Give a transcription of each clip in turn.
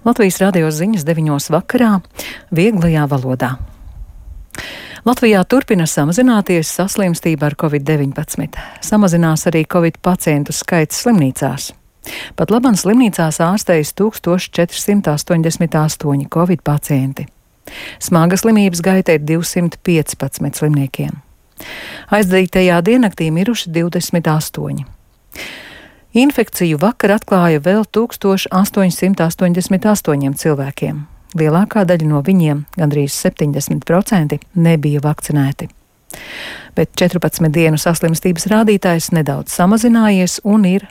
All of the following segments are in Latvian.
Latvijas radio ziņas 9 vakarā vieglajā valodā. Latvijā turpina samazināties saslimstība ar covid-19. Samazinās arī covid pacientu skaits slimnīcās. Pat labam slimnīcās ārstējas 1488 covid pacienti. Smaga slimības gaita ir 215 slimniekiem. Aizdītajā diennaktī miruši 28. Infekciju vakar atklāja vēl 1888 cilvēkiem. Lielākā daļa no viņiem, gandrīz 70%, nebija vakcinēti. Bet 14 dienu saslimstības rādītājs nedaudz samazinājies un ir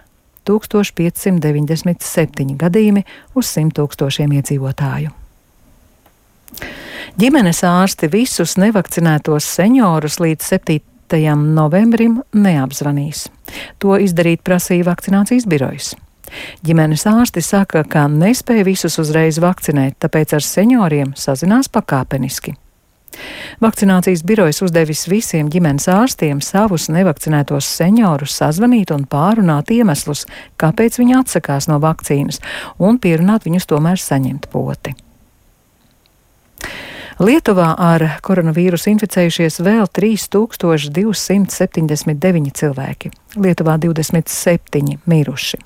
1597 gadījumi uz 100 000 iedzīvotāju. Ģimenes ārsti visus nevakcinētos seniorus līdz 7. novembrim neapzvanīs. To izdarīt prasīja vakcinācijas birojas. Ģimenes ārsti saka, ka nespēja visus uzreiz vakcinēt, tāpēc ar senioriem sazinās pakāpeniski. Vakcinācijas birojas uzdevis visiem ģimenes ārstiem savus nevakcinētos seniorus sazvanīt un pārunāt iemeslus, kāpēc viņi atsakās no vakcīnas, un pierunāt viņus tomēr saņemt poti. Lietuvā ar koronavīrusu inficējušies vēl 3279 cilvēki. Lietuvā 27 miruši.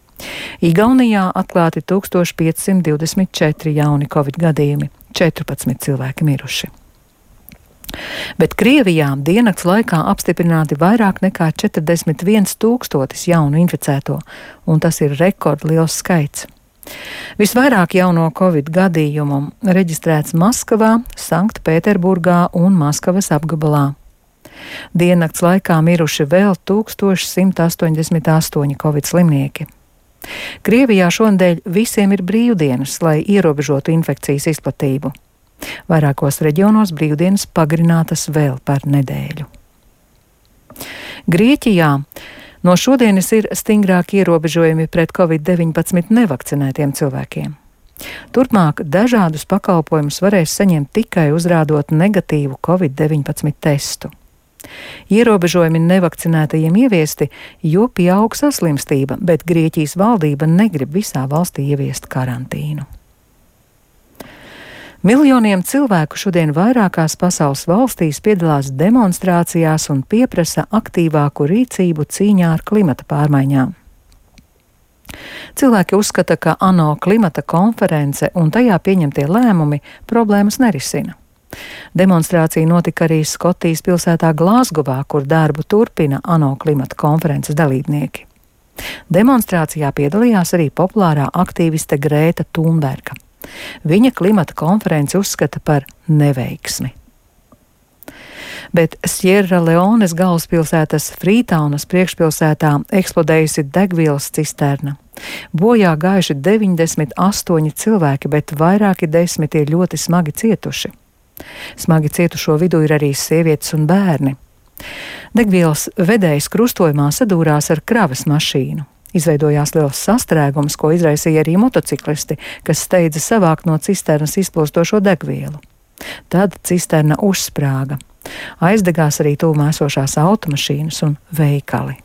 Igaunijā atklāti 1524 jauni covid gadījumi, 14 cilvēki miruši. Bet Krievijā diennakts laikā apstiprināti vairāk nekā 41 000 jaunu inficēto, un tas ir rekordliels skaits. Visvairāk jauno covid gadījumu reģistrēts Maskavā, Sanktpēterburgā un Maskavas apgabalā. Diennakts laikā miruši vēl 1188 covid slimnieki. Krievijā šonadēļ visiem ir brīvdienas, lai ierobežotu infekcijas izplatību. Vairākos reģionos brīvdienas pagarinātas vēl par nedēļu. Grieķijā no šodienas ir stingrāki ierobežojumi pret covid-19 nevakcinētiem cilvēkiem. Turpmāk dažādus pakalpojumus varēs saņemt tikai uzrādot negatīvu covid-19 testu. Ierobežojumi nevakcinētajiem ieviesti, jo pieaug saslimstība, bet Grieķijas valdība negrib visā valstī ieviest karantīnu. Miljoniem cilvēku šodien vairākās pasaules valstīs piedalās demonstrācijās un pieprasa aktīvāku rīcību cīņā ar klimata pārmaiņām. Cilvēki uzskata, ka ANO klimata konference un tajā pieņemtie lēmumi problēmas nerisina. Demonstrācija notika arī Skotijas pilsētā Glāzgovā, kur darbu turpina ANO klimata konferences dalībnieki. Demonstrācijā piedalījās arī populārā aktīviste Grēta Thunberga. Viņa klimata konferenci uzskata par neveiksmi. Bet Sierra Leones galvaspilsētas Frītaunas priekšpilsētā eksplodējusi degvielas cisterna. Bojā gājuši 98 cilvēki, bet vairāki desmit ir ļoti smagi cietuši. Smagi cietušo vidū ir arī sievietes un bērni. Degvielas vedējs krustojumā sadūrās ar kravas mašīnu. Izveidojās liels sastrēgums, ko izraisīja arī motociklisti, kas steidza savākt no cisternas izplūstošo degvielu. Tad cisterna uzsprāga. Aizdegās arī tuvumā esošās automašīnas un veikali.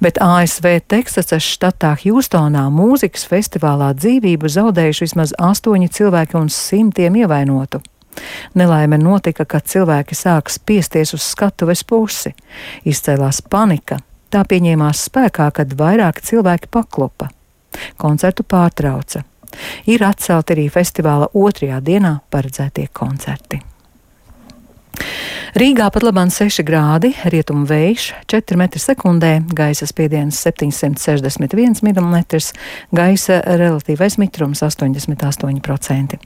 Bet ASV Teksasas štatā Hjūstonā mūzikas festivālā dzīvību zaudējuši vismaz 8 cilvēki un 100 ievainotu. Nelaime notika, kad cilvēki sāka spiesties uz skatuves pusi. Izcēlās panika. Tā pieņēmās spēkā, kad vairāki cilvēki paklupa. Koncertu pārtrauca. Ir atcelti arī festivāla 2. dienā paredzētie koncerti. Rīgā pat labāk 6 grādi, rietumu vējš 4 m/sekundē, gaisa spiediens 761 mm, gaisa relatīvais mitrums 88%.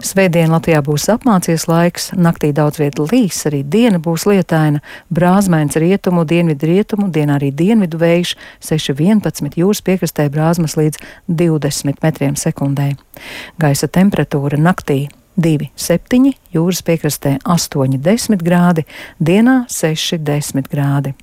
Svētdien Latvijā būs apmācies laiks, naktī daudz viet līs, arī diena būs lietaina, brāzmains rietumu, dienvidu, dienā arī dienvidu vējš 6,11, jūras piekrastē brāzmas līdz 20 m/sekundē. Gaisa temperatūra naktī 2,7, jūras piekrastē 8,10 grādi, dienā 6,10 grādi.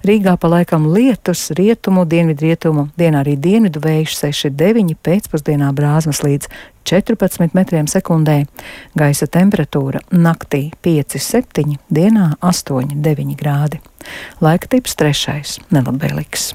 Rīgā pa laikam lietus, rietumu, dienvidu, dienā arī dienvidu vējš 6,9, pēcpusdienā brāzmas līdz 14 m/sekundē. Gaisa temperatūra naktī 5,7, dienā 8,9 grādi. Laika tips 3. nelabvēlīgs.